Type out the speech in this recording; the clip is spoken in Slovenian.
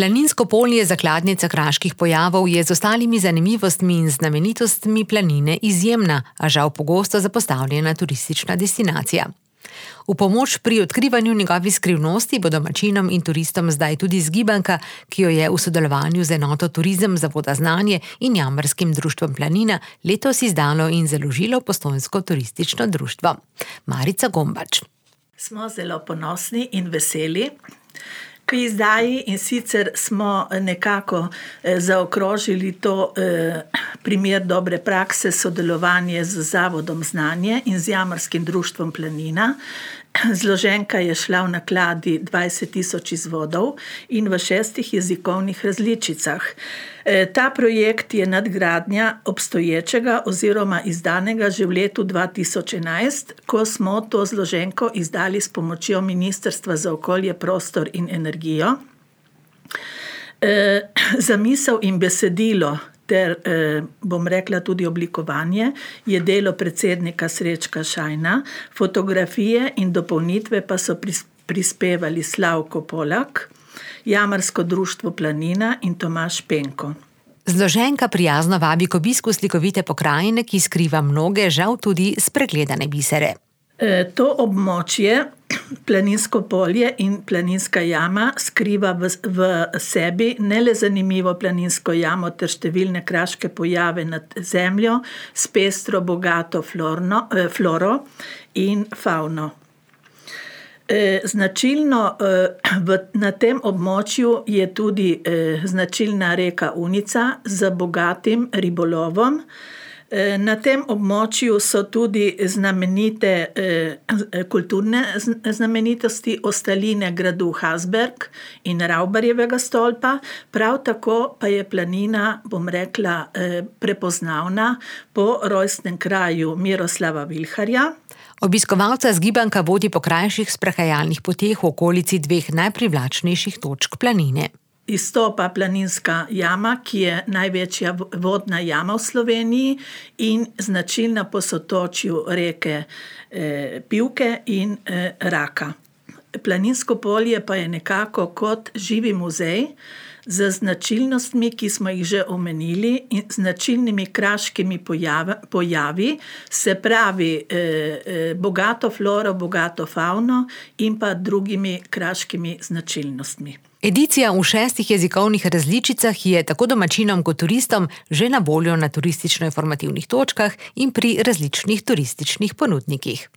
Planinsko polje zakladnica kraških pojavov je z ostalimi zanimivostmi in znamenitostmi planine izjemna, a žal pogosto zapostavljena turistična destinacija. V pomoč pri odkrivanju njegovih skrivnosti bo domačinom in turistom zdaj tudi zgibanka, ki jo je v sodelovanju z enoto Turizem Zavoda Znanje in Jamarskim društvom Planina letos izdalo in založilo Postojnsko turistično društvo. Marica Gombač. Smo zelo ponosni in veseli k izdaji, in sicer smo nekako zaokrožili to primer dobre prakse, sodelovanje z Zavodom Znanje in z Jamarskim društvom Planina. Zloženka je šla v nakladi 20.000 izvodov in v 6 jezikovnih različicah. Ta projekt je nadgradnja obstoječega oziroma izdanega že v letu 2011, ko smo to zloženko izdali s pomočjo Ministrstva za okolje, prostor in energijo. Zamisel in besedilo ter, bom rekla, tudi oblikovanje je delo predsednika Srečka Šajna, fotografije in dopolnitve pa so prispevali Slavko Polak, Jamarsko društvo Planina in Tomaž Penko. Zloženka prijazno vabi k obisku slikovite pokrajine, ki skriva mnoge, žal tudi spregledane bisere. To območje, Planinsko polje in Planinska jama, skriva v sebi ne le zanimivo planinsko jamo ter številne kraške pojave nad zemljo s pestro, bogato floro in fauno. Značilno na tem območju je tudi značilna reka Unica z bogatim ribolovom. Na tem območju so tudi znamenite kulturne znamenitosti, ostaline gradu Hasberg in Ravbarjevega stolpa, prav tako pa je planina, bom rekla, prepoznavna po rojstnem kraju Miroslava Vilharja. Obiskovalca zgibanka vodi po krajših sprehajalnih poteh v okolici 2 najprivlačnejših točk planine. Izstopa Planinska jama, ki je največja vodna jama v Sloveniji in značilna po sotočju reke Pivke in Raka. Planinsko polje pa je nekako kot živi muzej z značilnostmi, ki smo jih že omenili, in značilnimi kraškimi pojavi, se pravi bogato floro, bogato fauno in pa drugimi kraškimi značilnostmi. Edicija v 6 jezikovnih različicah je tako domačinom kot turistom že na voljo na turistično-informativnih točkah in pri različnih turističnih ponudnikih.